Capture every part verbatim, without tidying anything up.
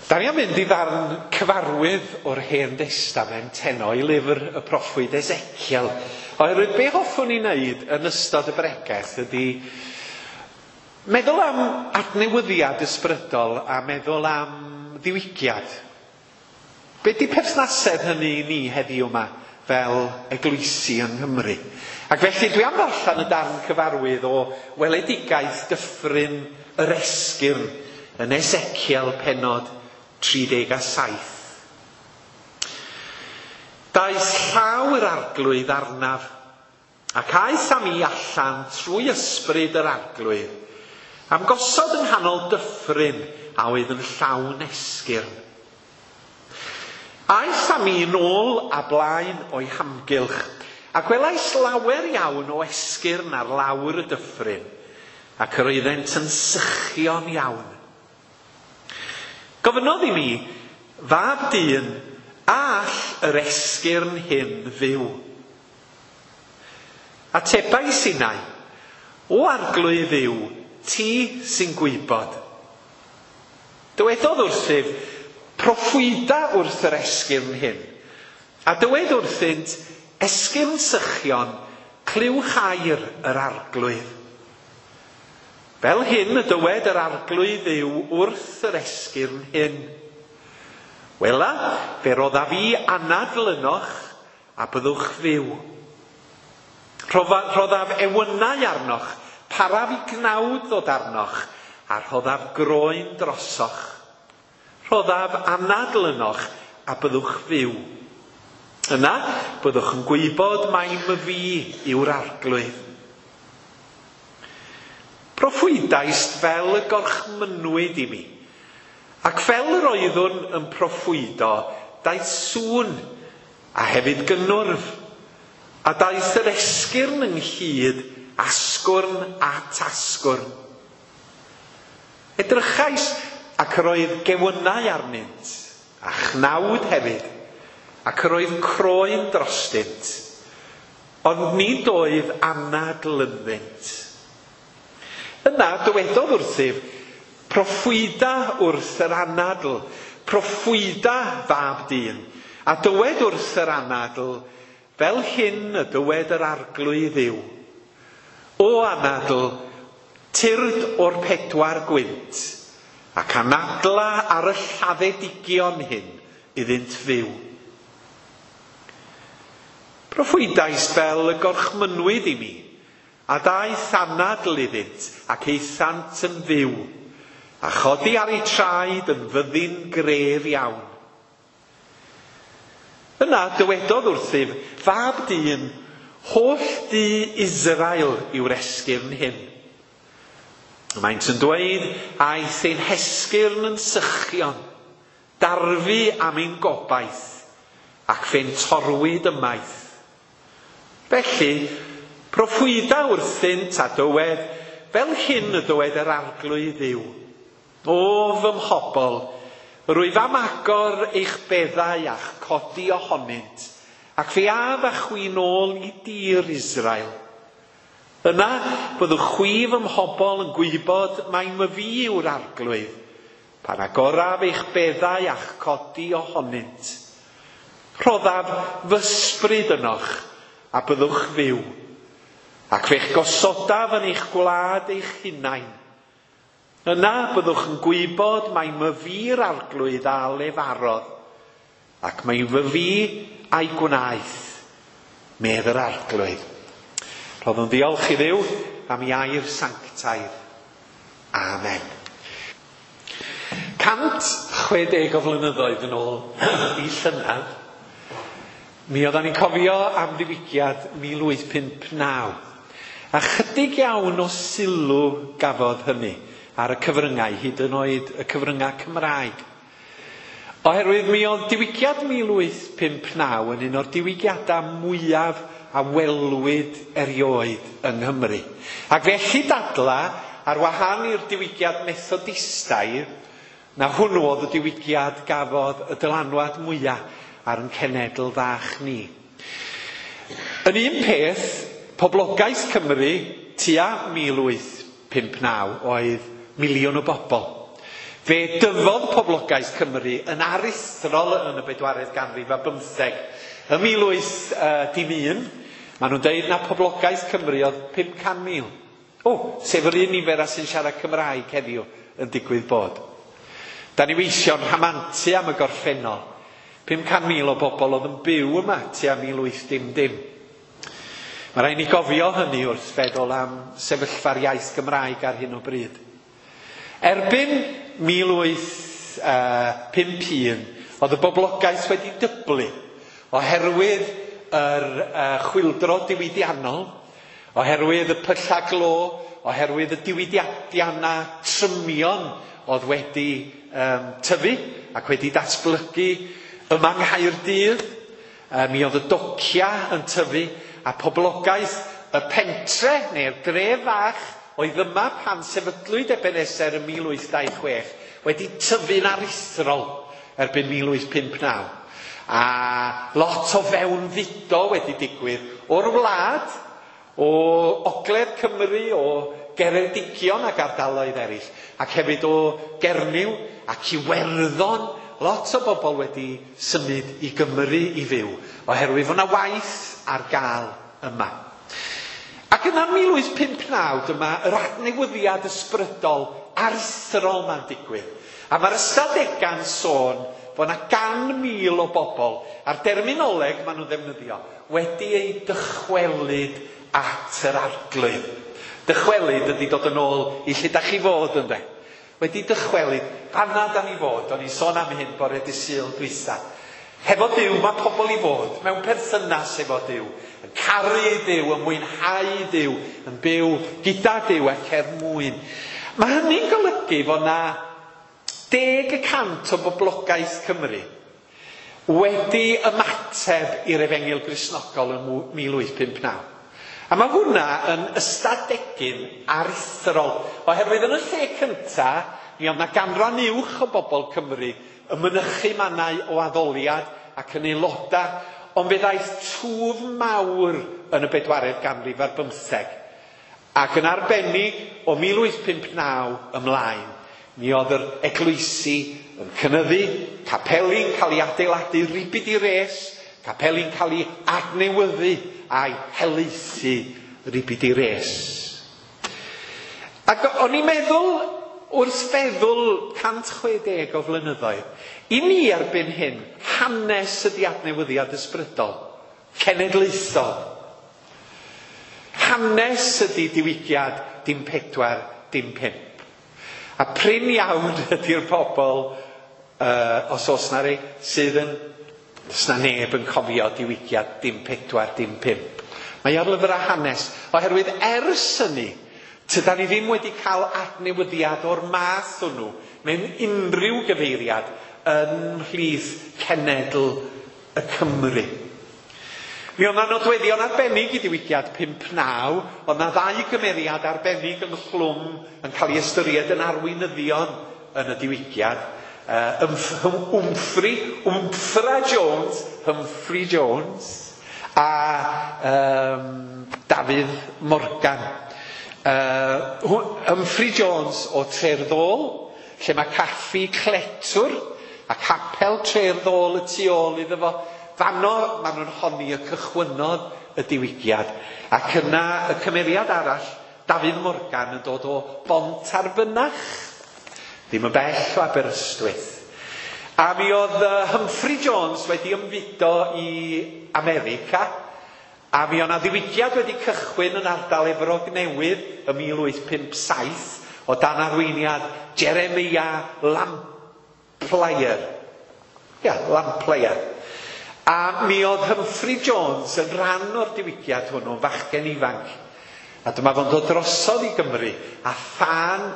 Da ni am fynd i ddarn cyfarwydd o'r Hen Destament heno i lyfr y proffwyd Ezekiel. Oherwydd be hoffwn i wneud yn ystod y bregeth ydy meddwl am adnewyddiad ysbrydol a meddwl am ddiwygiad. Be di perthnasedd hynny i ni heddiw yma fel eglwysi yng Nghymru? Ac felly dwi am ddarllen y darn cyfarwydd o weledigaeth dyffryn yr esgyrn yn Ezekiel pennod tri deg a saith. Daeth llaw yr arglwydd arnaf, ac aeth â mi allan trwy ysbryd yr arglwydd, am gosod yng nghanol dyffryn a oedd yn llawn esgyrn. Aeth â mi nôl a blaen o'i hamgylch, a gwelais lawer iawn o esgyrn ar lawr y dyffryn, ac yr oeddent yn sychion iawn. Gofynnodd i mi, fab dyn, a all yr esgyrn hyn fyw? Atebais innau, o arglwydd Dduw, ti sy'n gwybod. Dywedodd wrthyf, proffwyda wrth yr esgyrn hyn. A dywed wrthynt, esgyrn sychion, clywch air yr arglwydd. Fel hyn y dywed yr arglwydd Dduw wrth yr esgyrn hyn. Wela, fe roddaf fi anadl ynoch a byddwch fyw. Rhoddaf ewynau arnoch, paraf i gnawd ddod arnoch, a rhoddaf groen drosoch. Rhoddaf anadl ynoch a byddwch fyw. Yna, byddwch yn gwybod mai myfi yw'r arglwydd. Proffwydaist fel y gorchmynwyd i mi, ac fel yr oeddwn yn proffwydo, daeth sŵn, a hefyd gynnwrf, a daeth yr esgyrn ynghyd, asgwrn at asgwrn. Edrychais ac yr oedd gewynnau arnynt, a chnawd hefyd, ac yr oedd croen drostynt, ond nid oedd anadl ynddynt. Yna dywedodd wrthyf, proffwyda wrth yr anadl, proffwyda fab dyn, a dywed wrth yr anadl, fel hyn y dywed yr arglwydd Dduw. O anadl, tyrd o'r pedwar gwynt, ac anadla ar y lladdedigion hyn iddynt fyw. Proffwydais fel y gorchmynwyd i mi, a daeth anadl iddynt, ac aethant yn fyw, a chodi ar eu traed yn fyddin gref iawn. Yna dywedodd wrthyf, fab dyn, holl dŷ Israel yw'r esgyrn hyn. Maent yn dweud, aeth ein hesgyrn yn sychion, darfu am ein gobaith, ac fe'n torwyd ymaith. Felly, proffwyda wrthynt a dywed, fel hyn y dywed yr arglwydd Dduw. O fy mhobl, rwyf am agor eich beddau a'ch codi ohonynt, ac fe af â chwi nôl i dir Israel. Yna, byddwch chwi fy mhobl yn gwybod mai myfi yw'r arglwydd, pan agoraf eich beddau a'ch codi ohonynt. Rhoddaf fy ysbryd ynoch, a byddwch fyw, ac fe'ch gosodaf yn eich gwlad eich hunain. Yna byddwch yn gwybod mai myfi'r arglwydd a lefarodd, ac mai fyfi a'i gwnaeth, medd yr arglwydd. Rhoddwn ddiolch i Dduw am ei air sanctaidd. Amen. cant chwe deg o flynyddoedd yn ôl i llynedd, mi oeddan ni'n cofio am ddiwygiad mil wyth pump naw. A chydig iawn o sylw gafodd hynny ar y cyfryngau, hyd yn oed y cyfryngau Cymraeg. Oherwydd mi oedd diwygiad mil wyth pump naw yn un o'r diwygiadau mwyaf a welwyd erioed yng Nghymru. Ac felly dadla, ar wahân i'r diwygiad Methodistaidd, na hwnnw oedd y diwygiad gafodd y dylanwad mwyaf ar ein cenedl fach ni. Yn un peth, poblogaeth Cymru tua mil wyth pump naw oedd miliwn o bobl. Fe dyfodd poblogaeth Cymru yn aruthrol yn y bedwaredd ganrif a bymtheg. Ym mil wyth dim un, maen nhw'n deud na poblogaeth Cymru oedd pum can mil. O, sef yr un nifer a sy'n siarad Cymraeg heddiw yn digwydd bod. Da ni weisio'n rhamantu am y gorffennol. pum can mil o bobl oedd yn byw yma tua mil wyth dim dim. Mae rhaid ni gofio hynny wrth feddwl am sefyllfa'r iaith Gymraeg ar hyn o bryd. Erbyn mil wyth pump un, oedd y boblogaeth wedi dyblu oherwydd yr uh, chwyldro diwydiannol, oherwydd y pylla glo, oherwydd y diwydiannau trymion oedd wedi um, tyfu ac wedi datblygu yma yng Nghaerdydd. Uh, mi oedd y docia yn tyfu a poblogaeth y pentre neu'r dref fach oedd yma pan sefydlwyd Ebenezer ym mil wyth dau chwech wedi tyfu'n aruthrol erbyn mil wyth pump naw. A lot o fewnfudo wedi digwydd o'r wlad, o Ogledd Cymru, o Geredigion ac ardaloedd eraill, ac hefyd o Gernyw ac Iwerddon. Lot o bobl wedi symud i Gymru i fyw, oherwydd fod 'na waith ar gael yma. Ac yna mil wyth pump naw, dyma yr adnewyddiad ysbrydol aruthrol ma'n digwydd. A mae'r ystadegau'n sôn fod 'na gan mil o bobl, a'r derminoleg maen nhw'n ddefnyddio, wedi eu dychwelyd at yr Arglwydd. Dychwelyd ydy dod yn ôl i lle da chi fod, ynde? Wedi dychwelyd, fanna da ni fod, o'n i'n sôn am hyn bore dydd Sul dwytha. Hefo Duw mae pobl i fod, mewn perthynas efo Duw, yn caru Duw, yn mwynhau Duw, yn byw gyda Duw ac er mwyn. Mae hynny'n golygu fod 'na deg y cant o boblogaeth Cymru wedi ymateb i'r Efengyl Gristnogol yn mil wyth pump naw. A mae hwnna yn ystadegyn aruthrol, oherwydd yn y lle cynta, mi oedd 'na ganran uwch o bobl Cymru yn mynychu mannau o addoliad ac yn aelodau, ond fe ddaeth twf mawr yn y bedwaredd ganrif ar bymtheg. Ac yn arbennig o mil wyth pump naw ymlaen, mi oedd yr eglwysi yn cynyddu, capeli'n cael ei adeiladu ribid i res, capeli'n cael ei adnewyddu a'i helaethu ribid i res. Ac o'n i'n meddwl, wrth feddwl cant chwe deg o flynyddoedd, i ni erbyn hyn, hanes ydi adnewyddiad ysbrydol, cenedlaethol. Hanes ydi diwygiad dim pedwar, dim pump. A prin iawn ydy'r pobl, uh, os oes na rei, sydd yn... Does na neb yn cofio diwygiad dim pedwar, dim pump. Mae ar lyfrau hanes, oherwydd ers hynny, tydan ni ddim wedi cael adnewyddiad o'r math hwnnw mewn unrhyw gyfeiriad yn mhlith cenedl y Cymru. Mi oedd 'na nodweddion arbennig i diwygiad pump naw, oedd 'na ddau gymeriad arbennig ynghlwm yn cael ei ystyried yn arweinyddion yn y diwygiad. Uh, Humphrey, Wmffra Jones, Humphrey Jones, a um, Dafydd Morgan. Uh, Humphrey Jones o Tre'r Ddôl, lle mae caffi Cletwr a capel Tre'r Ddôl y tu ôl iddo fo. Fanno maen nhw'n honni y cychwynnodd y diwygiad. Ac yna y cymeriad arall, Dafydd Morgan, yn dod o Bont-ar-Fynach, ddim yn bell o Aberystwyth. A mi oedd Humphrey Jones wedi ymfudo i America, a mi oedd 'na ddiwygiad wedi cychwyn yn ardal Efrog Newydd ym mil wyth pump saith o dan arweiniad Jeremiah Lamplayer. Ia, Lamplayer. A mi oedd Humphrey Jones yn rhan o'r diwygiad hwnnw, fachgen ifanc. A dyma fo'n dod drosodd i Gymru a thân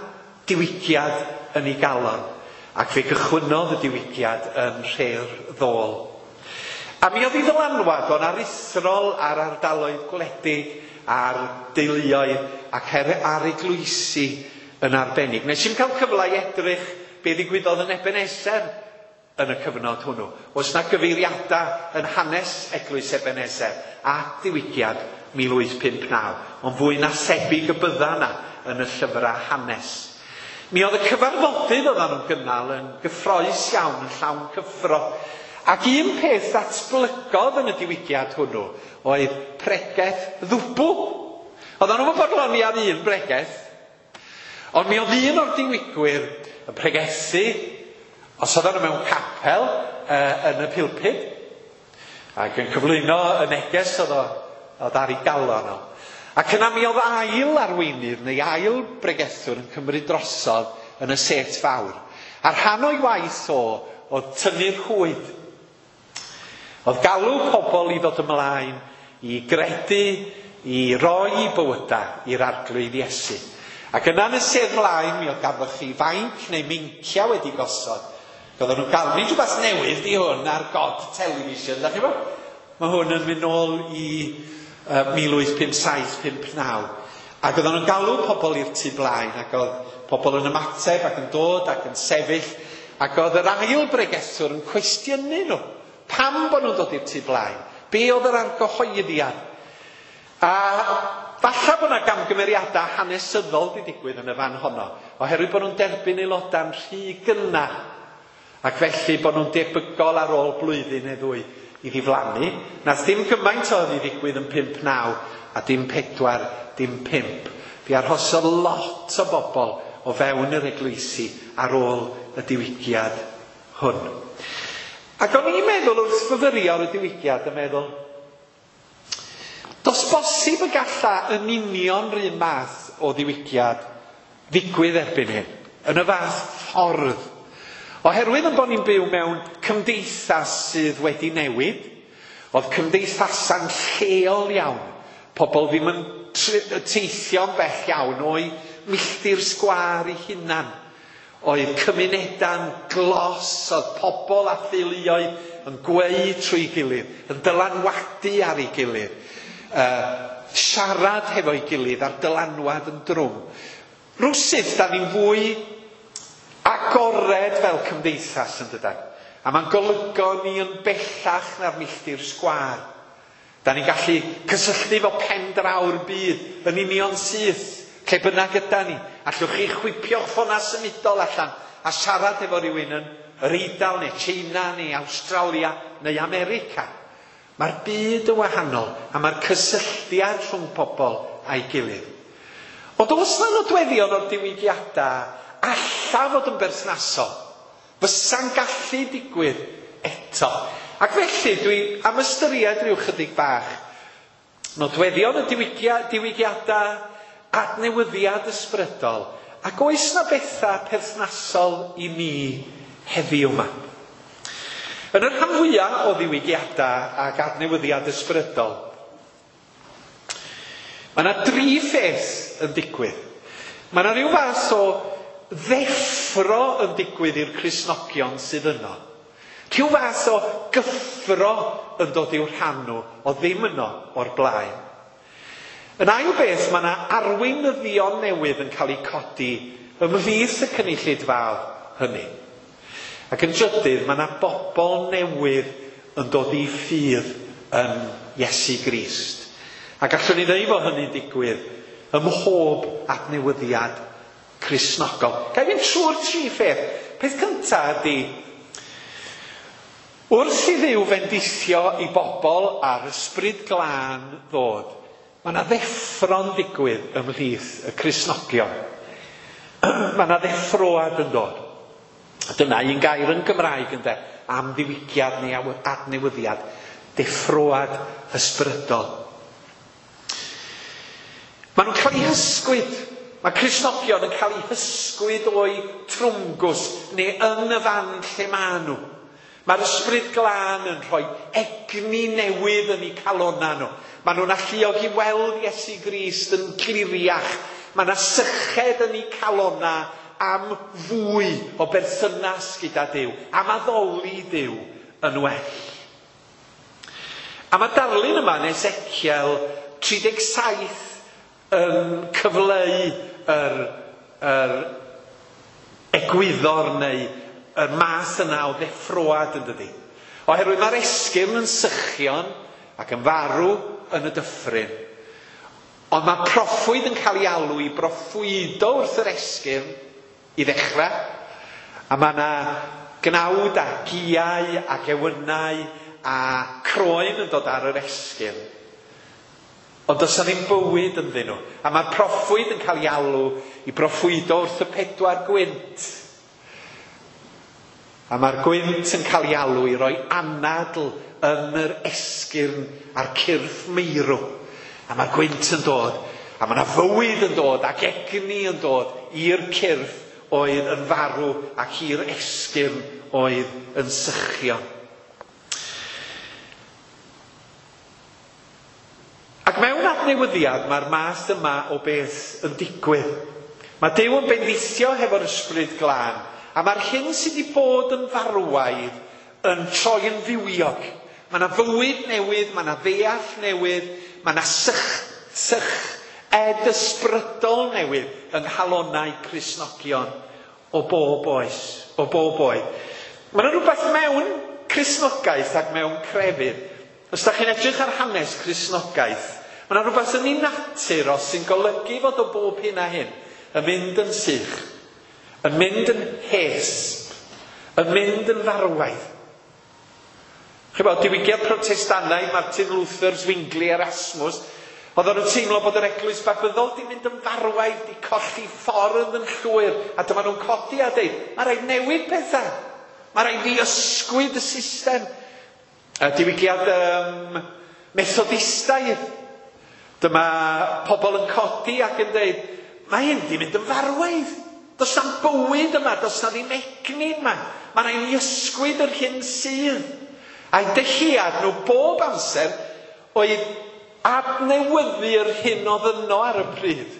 diwygiad yn ei galon, ac fe gychwynnodd y diwygiad yn Nhre'r Ddôl. A mi oedd ei ddylanwad o'n aruthrol ar ardaloedd gwledig, ar deuluoedd ac ar eglwysi yn arbennig. Nes i'm cael cyfle i edrych be ddigwyddodd yn Ebenezer yn y cyfnod hwnnw. Oes 'na gyfeiriadau yn hanes eglwys Ebenezer a diwygiad mil wyth pump naw, ond fwy na thebyg y bydda yna yn y llyfrau hanes. Mi oedd y cyfarfodydd oedden nhw'n gynnal yn gyffrous iawn, yn llawn cyffro. Ac un peth ddatblygodd yn y diwygiad hwnnw oedd pregeth ddwbl. Oedden nhw'n bodloni ar un bregeth, ond mi oedd un o'r diwygwyr yn pregethu, os oedden nhw mewn capel uh, yn y pulpud, ac yn cyflwyno y neges oedd o, oedd ar ei galon o. Ac yna mi oedd ail arweinydd neu ail bregethwr yn cymryd drosodd yn y set fawr. A rhan o'i waith o oedd tynnu'r rhwyd. Oedd galw pobl i ddod ymlaen, i gredu, i roi bywydau i'r Arglwydd Iesu. Ac yna yn y sedd flaen mi oedd ganddoch chi fainc neu meincia wedi gosod. Oedden nhw'n galw, nid rhywbeth newydd di hwn ar God Television, da chi bo? Mae hwn yn mynd nôl i uh, mil wyth pump saith pump naw. Ac oedden nhw'n galw pobl i'r tu blaen, ac oedd pobl yn ymateb ac yn dod ac yn sefyll, ac oedd yr ail bregethwr yn cwestiynu nhw. Pam bod nhw'n dod i'r tu blaen? Be oedd yr argyhoeddiad? A falle bod yna gamgymeriadau hanesyddol wedi digwydd yn y fan honno, oherwydd bod nhw'n derbyn aelodau'n rhy gynnar, ac felly bod nhw'n debygol ar ôl blwyddyn neu ddwy i ddiflannu. Nath dim gymaint oedd i ddigwydd yn pump naw, a dim pedwar, dim pump. Fi arhosodd lot o bobl o fewn yr eglwysi ar ôl y diwygiad hwn. Ac o'n i'n meddwl wrth fyfyrio ar y diwygiad yn meddwl, does bosib y galla yn union rhywun math o ddiwygiad ddigwydd erbyn hyn, yn y fath ffordd. Oherwydd yn bod ni'n byw mewn cymdeithas sydd wedi newid, oedd cymdeithasa'n lleol iawn. Pobl ddim yn teithio'n bell iawn o'i milltir sgwâr eu hunan. Oedd cymunedau'n glos, oedd pobl a theuluoedd yn gweu trwy gilydd, yn dylanwadu ar ei gilydd, uh, siarad hefo'i gilydd a'r dylanwad yn drwm. Rwsut, da ni'n fwy agored fel cymdeithas yn dydan. A mae'n golygo ni yn bellach na'r milltir sgwâr. Da ni'n gallu cysylltu fo pen draw'r byd yn union syth, lle bynnag yda ni. Allwch chi chwipio'ch ffona symudol allan a siarad efo rhywun yn yr Eidal neu China neu Awstralia neu America. Mae'r byd yn wahanol a mae'r cysylltiad rhwng pobl a'i gilydd. Ond oes 'na nodweddion o'r diwygiadau alla fod yn berthnasol, fysa'n gallu digwydd eto. Ac felly dwi am ystyried rhyw chydig bach nodweddion y diwygia, diwygiadau, adnewyddiad ysbrydol, ac oes 'na bethau perthnasol i ni heddiw yma. Yn y rhan fwyaf o ddiwygiadau ac adnewyddiad ysbrydol, mae yna dri pheth yn digwydd. Mae yna rhyw fath o ddeffro yn digwydd i'r Cristnogion sydd yno. Rhyw fath o gyffro yn dod i'w rhan nhw o ddim yno o'r blaen. Yn ail beth, mae yna arweinyddion newydd yn cael eu codi ymhlith y cynulleidfaoedd hynny. Ac yn drydydd, mae yna bobl newydd yn dod i ffydd yn Iesu Grist. Ac allwn ni ddweud fod hynny'n digwydd ym mhob adnewyddiad Cristnogol. Ga i fynd trwy'r tri pheth. Peth cyntaf ydy, wrth i Dduw fendithio i bobl a'r ysbryd glân ddod, mae yna ddeffro'n digwydd ymhlith y Cristnogion. Mae yna ddeffroad yn dod. Dyna un gair yn Gymraeg ynde, am ddiwygiad neu adnewyddiad, deffroad ysbrydol. Maen nhw'n cael eu hysgwyd. Mae Cristnogion yn cael eu hysgwyd o'i trwmgws neu yn y fan lle maen nhw. Mae'r ysbryd glân yn rhoi egni newydd yn eu calonnau nhw. Maen nhw'n alluog i weld Iesu Grist yn cliriach. Mae yna syched yn eu calonnau am fwy o berthynas gyda Duw, am addoli Duw yn well. A mae darlun yma yn Ezekiel tri deg saith yn cyfleu yr, yr egwyddor neu y math yna o ddeffroad yn dydi. Oherwydd mae'r esgyrn yn sychion ac yn farw yn y dyffryn. Ond mae proffwyd yn cael ei alw i broffwydo wrth yr esgyrn. i ddechrau. A mae yna gnawd a giau a gewynnau a croen yn dod ar yr esgyrn. Ond does 'na ddim bywyd ynddyn nhw. A mae'r proffwyd yn cael ei alw i broffwydo wrth y pedwar gwynt. A mae'r gwynt yn cael ei alw i roi anadl yn yr esgyrn a'r cyrff meirw. A mae'r gwynt yn dod, a mae yna fywyd yn dod ac egni yn dod i'r cyrff oedd yn farw ac i'r esgyrn oedd yn sychio. Ac mewn adnewyddiad mae'r math yma o beth yn digwydd. Mae Duw yn bendithio hefo'r Ysbryd Glân, a mae'r hyn sydd wedi bod yn farwaidd yn troi yn fywiog. Mae yna fywyd newydd, mae yna ddeall newydd, mae yna sych, sych ed ysbrydol newydd yng nghalonnau Cristnogion o bob oes, o bob oed. Mae yna rhywbeth mewn Cristnogaeth ac mewn crefydd. Os da chi'n edrych ar hanes Cristnogaeth, mae yna rhywbeth yn ei natur os sy'n golygu fod o bob hyn a hyn yn mynd yn sych, yn mynd yn hesb, yn mynd yn farwaidd. Chi'n bod, diwygiad Protestannaidd, Martin Luther, Zwingli, Erasmus, oedden nhw'n teimlo bod yr eglwys Babyddol di mynd yn farwaidd, di colli ffordd yn llwyr, a dyma nhw'n codi a deud, mae rhaid newid pethau, mae rhaid i ysgwyd y system. A diwygiad um, Methodistaidd, dyma pobl yn codi ac yn deud, mae hyn di mynd yn farwaidd. Does na'm bywyd yma, does na ddim egni yma. Mae rhaid i ysgwyd yr hyn sydd. A'i dyhead nhw bob amser oedd adnewyddu'r hyn oedd yno ar y pryd.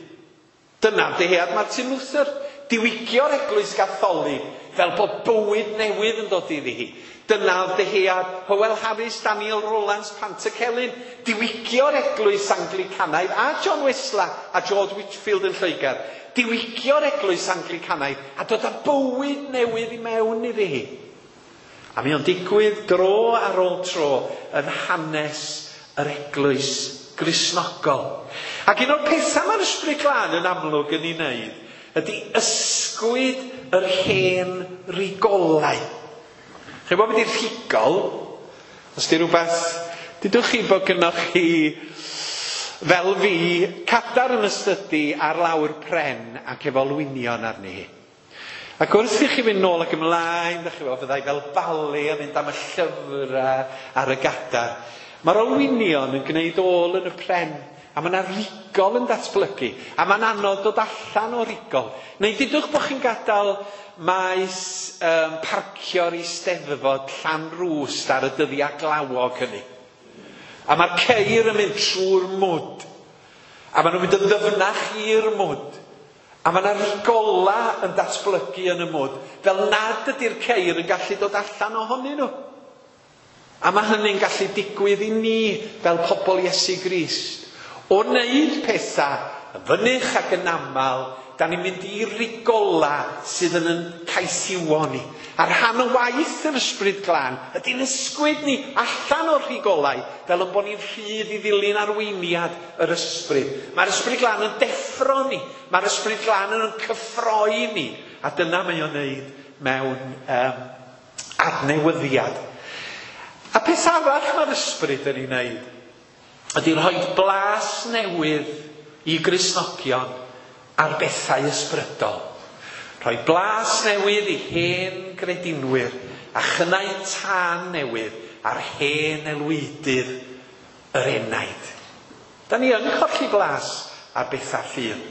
Dyna dyhead Martin Luther. Diwygio'r eglwys Gatholig fel bod bywyd newydd yn dod iddi hi. Dyna dyhead Howell Harris, Daniel Rowlands, Pantycelyn. Diwygio'r eglwys Anglicanaidd a John Wesley a George Whitefield yn Lloegr. Diwygio'r eglwys Anglicanaidd a dod â bywyd newydd i mewn iddi hi. A mi o'n digwydd dro ar ôl tro yn hanes yr eglwys Gristnogol. Ac un o'r pethau mae'r Ysbryd Glân yn amlwg yn ei wneud ydy ysgwyd yr hen rigolau. Chi'n gwybod beth yw'r rhigol? Os di rhywbeth, dydwch chi bod gynnoch chi, fel fi, cadar yn y stydi ar lawr pren ac efo olwynion arni hi. Ac wrth i chi fynd nôl ac ymlaen, dach chi fel, fyddai fel bale yn mynd am y llyfrau ar y gadar. Mae'r olwynion yn gwneud ôl yn y pren, a mae yna rigol yn datblygu, a mae'n anodd dod allan o rigol. Neu dydwch bod chi'n gadael maes um, parcio'r Eisteddfod Llanrwst ar y dyddiau glawog hynny. A mae'r ceir yn mynd trwy'r mwd, a maen nhw'n mynd yn ddyfnach i'r mwd. A mae yna rigola yn datblygu yn y mwd, fel nad ydy'r ceir yn gallu dod allan ohonyn nhw. A mae hynny'n gallu digwydd i ni fel pobl Iesu Grist. O wneud pethau yn fynych ac yn aml, da ni'n mynd i rigola sydd yn yn caethiwo ni. A rhan o waith yr Ysbryd Glân ydy'n ysgwyd ni allan o'r rhigolau, fel yn bod ni'n rhydd i ddilyn arweiniad yr Ysbryd. Mae'r Ysbryd Glân yn deffro ni, mae'r Ysbryd Glân yn cyffroi ni, a dyna mae o'n wneud mewn um, adnewyddiad. A peth arall mae'r Ysbryd yn ei wneud ydy rhoi blas newydd i Gristnogion ar bethau ysbrydol. Rhoi blas newydd i hen gredinwyr a chynnau tân newydd ar hen elwydydd yr enaid. Da ni yn colli blas ar bethau ffydd.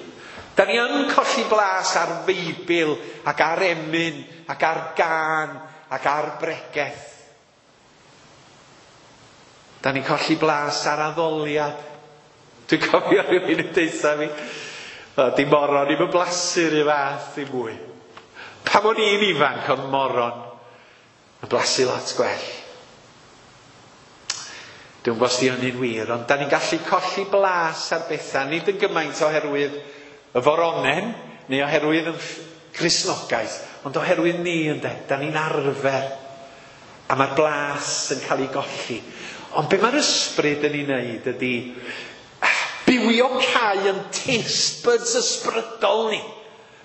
Da ni yn colli blas ar Feibl ac ar emyn ac ar gân ac ar bregeth. Da ni'n colli blas ar addoliad. Dwi'n cofio rhywun yn deutha fi, o, di moron i'm yn blasu'r un fath i mwy. Pan o'n i'n ifanc oedd moron yn blasu lot gwell. Dwi'n gwybod os di hynny'n wir, ond da ni'n gallu colli blas ar bethau, nid yn gymaint oherwydd y foronen, neu oherwydd y Cristnogaeth, ond oherwydd ni ynde, da ni'n arfer, a mae'r blas yn cael ei golli. Ond be mae'r Ysbryd yn ei wneud ydy bywio cau yn taste buds ysbrydol ni.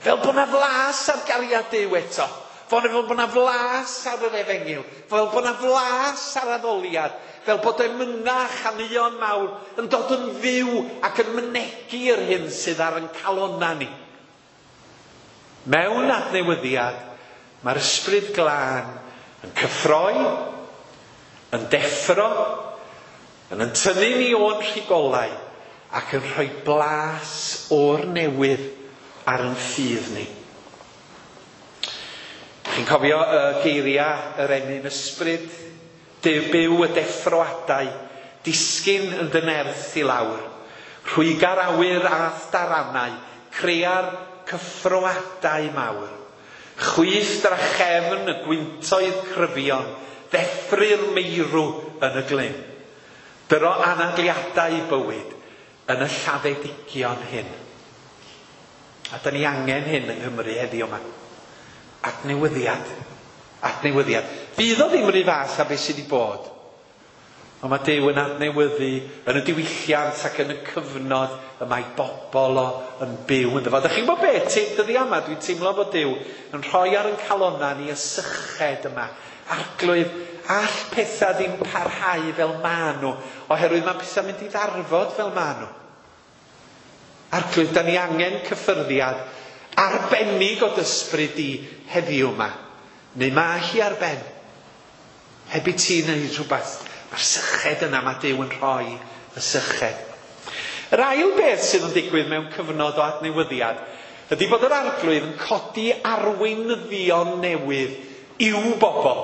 Fel bod 'na flas ar gariad Duw eto. Fel bod 'na flas ar yr efengyl. Fel bod 'na flas ar addoliad. Fel bod emynau a chaneuon mawr yn dod yn fyw ac yn mynegi yr hyn sydd ar ein calonnau ni. Mewn adnewyddiad, mae'r Ysbryd Glân yn cyffroi, yn deffro, yn yn tynnu ni o'n rhigolau ac yn rhoi blas o'r newydd ar ein ffydd ni. Chi'n cofio y geiriau yr emyn ysbryd? Duw byw y deffroadau, disgyn yn dy nerth i lawr. Rhwyga'r awyr a'th daranau, crea'r cyffroadau mawr. Chwyth drachefn y gwyntoedd cryfion, ddeffry'r meirw yn y glyn. Dyro anadliadau bywyd yn y lladdedigion hyn. A da ni angen hyn yng Nghymru heddiw yma. Adnewyddiad. Adnewyddiad. Fydd o ddim rhy fath a beth sydd wedi bod. Ond mae Duw yn adnewyddu yn y diwylliant ac yn y cyfnod y mae bobl o yn byw ynddo fo. Dach chi'n gwybod beth? Dyddia yma dwi'n teimlo bod Duw yn rhoi ar ein calonnau ni y syched yma. Arglwydd, all pethau ddim parhau fel maen nhw, oherwydd mae pethau'n mynd i ddarfod fel maen nhw. Arglwydd, da ni angen cyffyrddiad arbennig o d'ysbryd di heddiw yma. Neu mae hi ar ben. Heb i ti wneud rhywbeth. Mae'r syched yna, mae Duw yn rhoi y syched. Yr ail beth sydd yn digwydd mewn cyfnod o adnewyddiad ydy bod yr Arglwydd yn codi arweinyddion newydd i'w bobl.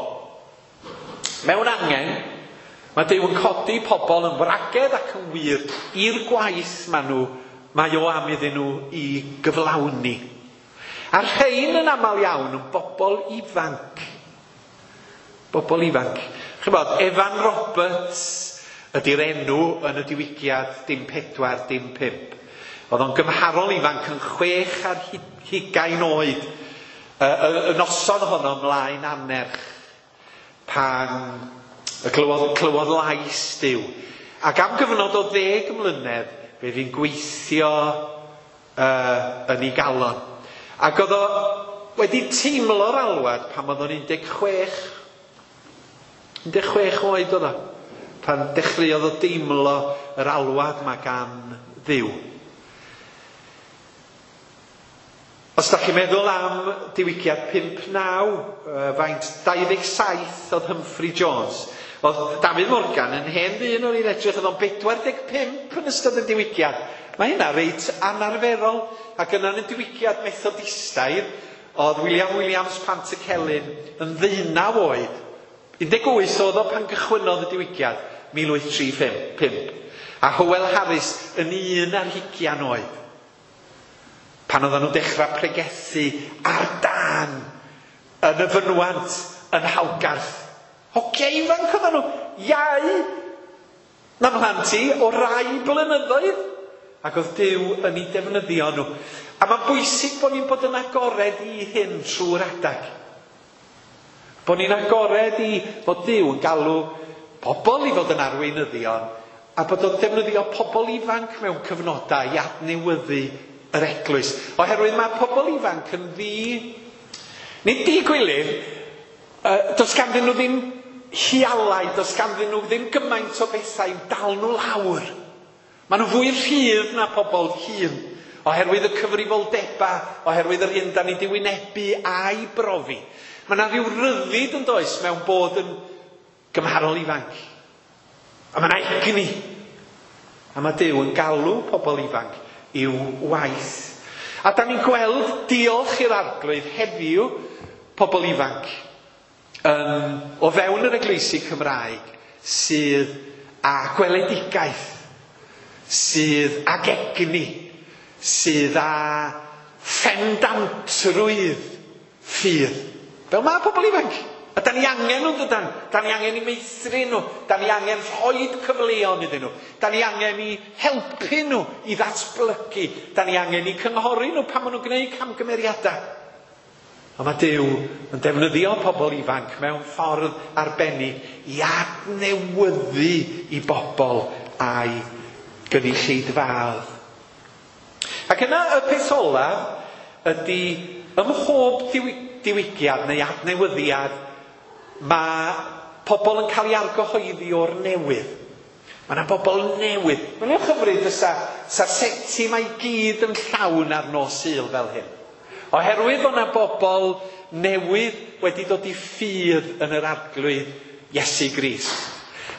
Mewn angen, mae Duw yn codi pobl yn wragedd ac yn wir i'r gwaith maen nhw, mae o am iddyn nhw i gyflawni. A'r rhain yn aml iawn yn bobl ifanc. Bobl ifanc. Chybod, Evan Roberts ydy'r enw yn y diwygiad dim pedwar, dim pump. Oedd o'n gymharol ifanc yn chwech ar hugain oed. Y, y, y noson honno ymlaen anerch pan y clywodd, clywodd lais Duw. Ac am gyfnod o ddeg mlynedd, fe fu'n gweithio uh, yn ei galon. Ac oedd o wedi teimlo'r alwad pan oedd o'n un deg chwech. un deg chwech oed oedd o, pan dechreuodd o deimlo yr alwad yma gan Dduw. Os da chi'n meddwl am diwygiad pump naw, faint dau ddeg saith oedd Humphrey Jones. Oedd Dafydd Morgan yn hen ddyn o'n i'n edrych, oedd o'n bedwar deg pump yn ystod y diwygiad. Mae hynna reit anarferol. Ac yna yn y diwygiad Methodistaidd, oedd William Williams Pantycelyn yn ddeunaw oed. un deg wyth oedd o pan gychwynnodd y diwygiad, mil wyth tri pump. A Howell Harris yn un ar hugian oed. Pan oedden nhw'n dechrau pregethu ar dân yn y fynwant yn Halgarth. Hogia ifanc oedden nhw, iau na mhlant i o rai blynyddoedd. Ac oedd Duw yn ei defnyddio nhw. A mae'n bwysig bod ni'n bod yn agored i hyn trwy'r adag. Bod ni'n agored i fod Duw yn galw pobl i fod yn arweinyddion a bod o'n defnyddio pobl ifanc mewn cyfnodau i adnewyddu yr eglwys. Oherwydd mae pobl ifanc yn ddi... Nid di-gwilydd, uh, does ganddyn nhw ddim hialau, does ganddyn nhw ddim gymaint o bethau i'w dal nhw lawr. Maen nhw fwy rhydd na pobl hŷn, oherwydd y cyfrifoldebau, oherwydd yr hyn da ni di wynebu a'i brofi. Mae yna rhyw ryddid yn does mewn bod yn gymharol ifanc. A mae yna egni. A mae Duw yn galw pobl ifanc i'w waith. A da ni'n gweld, diolch i'r Arglwydd, heddiw pobl ifanc um, o fewn yr eglwysi Cymraeg sydd â gweledigaeth, sydd ag egni, sydd â phendantrwydd ffydd. Fel mae pobl ifanc. A da ni angen nhw, dydan? Da ni angen i meithrin nhw. Da ni angen rhoid cyfleon iddyn nhw. Da ni angen i helpu nhw i ddatblygu. Da ni angen i cynghori nhw pan maen nhw'n gwneud camgymeriadau. Ond mae Duw yn defnyddio pobl ifanc mewn ffordd arbennig i adnewyddu i bobl a'i gynulleidfaoedd. Ac yna y peth olaf ydy ym mhob diwygiad neu adnewyddiad mae pobl yn cael ei argyhoeddi o'r newydd. Mae yna bobl newydd. Mae'n i'w chyfryd fysa, sa'r seti mae gyd yn llawn ar nos Sul fel hyn. Oherwydd bod yna bobl newydd wedi dod i ffydd yn yr Arglwydd Iesu Grist.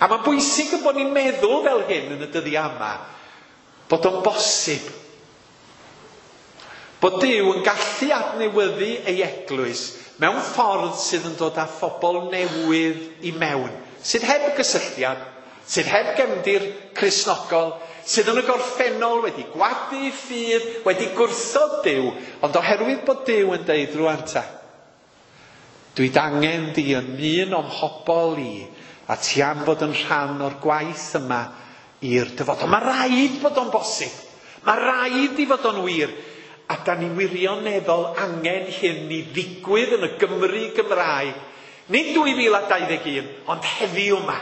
A mae'n bwysig y bod ni'n meddwl fel hyn yn y dyddiau yma, bod o'n bosib. Bod Duw yn gallu adnewyddu ei eglwys mewn ffordd sydd yn dod â phobl newydd i mewn, sydd heb gysylltiad, sydd heb gefndir Cristnogol, sydd yn y gorffennol wedi gwadu ffydd, wedi gwrthod Duw, ond oherwydd bod Duw yn deud rŵan ta, dwi angen di yn un o'm mhobl i, a ti am fod yn rhan o'r gwaith yma i'r dyfodol. Mae rhaid bod o'n bosib. Mae rhaid i fod o'n wir. A da ni wirioneddol angen hyn i ddigwydd yn y Gymru Gymraeg. Nid dwy fil a dau ddeg un, ond heddiw yma.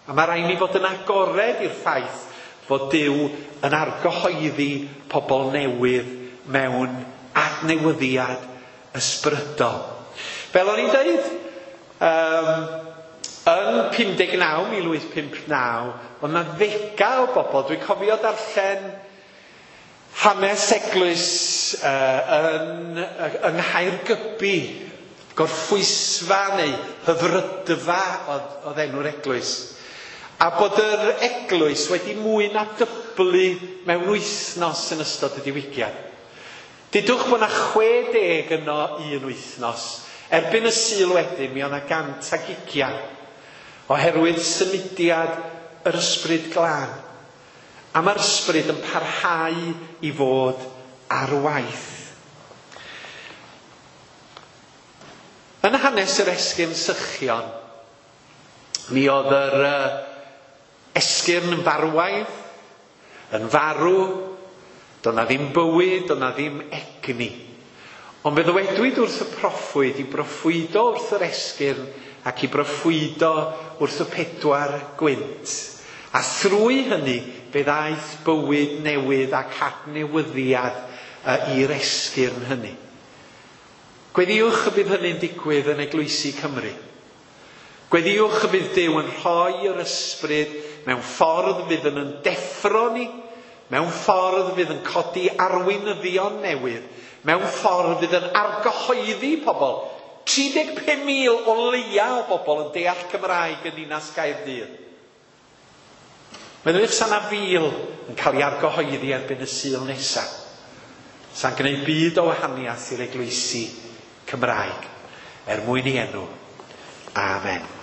A mae rhaid ni fod yn agored i'r ffaith fod Duw yn argyhoeddi pobl newydd mewn adnewyddiad ysbrydol. Fel o'n i'n dweud, um, yn pum deg naw, mil wyth pump naw, oedd yna ddegau o bobl. Dwi'n cofio darllen hanes eglwys uh, yn, yng Nghaergybi, gorffwysfa neu hyfrydfa oedd, oedd enw'r eglwys. A bod yr eglwys wedi mwy na dyblu mewn wythnos yn ystod y diwygiad. Dudwch bod yna chwe deg yno un wythnos. Erbyn y Sul wedyn, mi oedd yna gant ag ugian. Oherwydd symudiad yr Ysbryd Glân. A mae'r Ysbryd yn parhau i fod ar waith. Yn hanes yr esgyrn sychion, mi oedd yr esgyrn yn farwaidd, yn farw, doedd na ddim bywyd, doedd na ddim egni. Ond fe ddywedwyd wrth y proffwyd i broffwydo wrth yr esgyrn ac i broffwydo wrth y pedwar gwynt. A thrwy hynny fe ddaeth bywyd newydd ac adnewyddiad i'r esgyrn hynny. Gweddïwch y bydd hynny'n digwydd yn eglwysi Cymru. Gweddïwch y bydd Duw yn rhoi yr ysbryd mewn ffordd fydd yn deffro ni, mewn ffordd fydd yn codi arweinyddion newydd, mewn ffordd fydd yn argyhoeddi pobl. tri deg pum mil o leia o bobl yn deall Cymraeg yn Ninas Gaerdydd. Meddyliwch sa 'na fil yn cael ei argyhoeddi erbyn y Sul nesaf. Sa'n gwneud byd o wahaniaeth i'r eglwysi Cymraeg, er mwyn ei enw. Amen.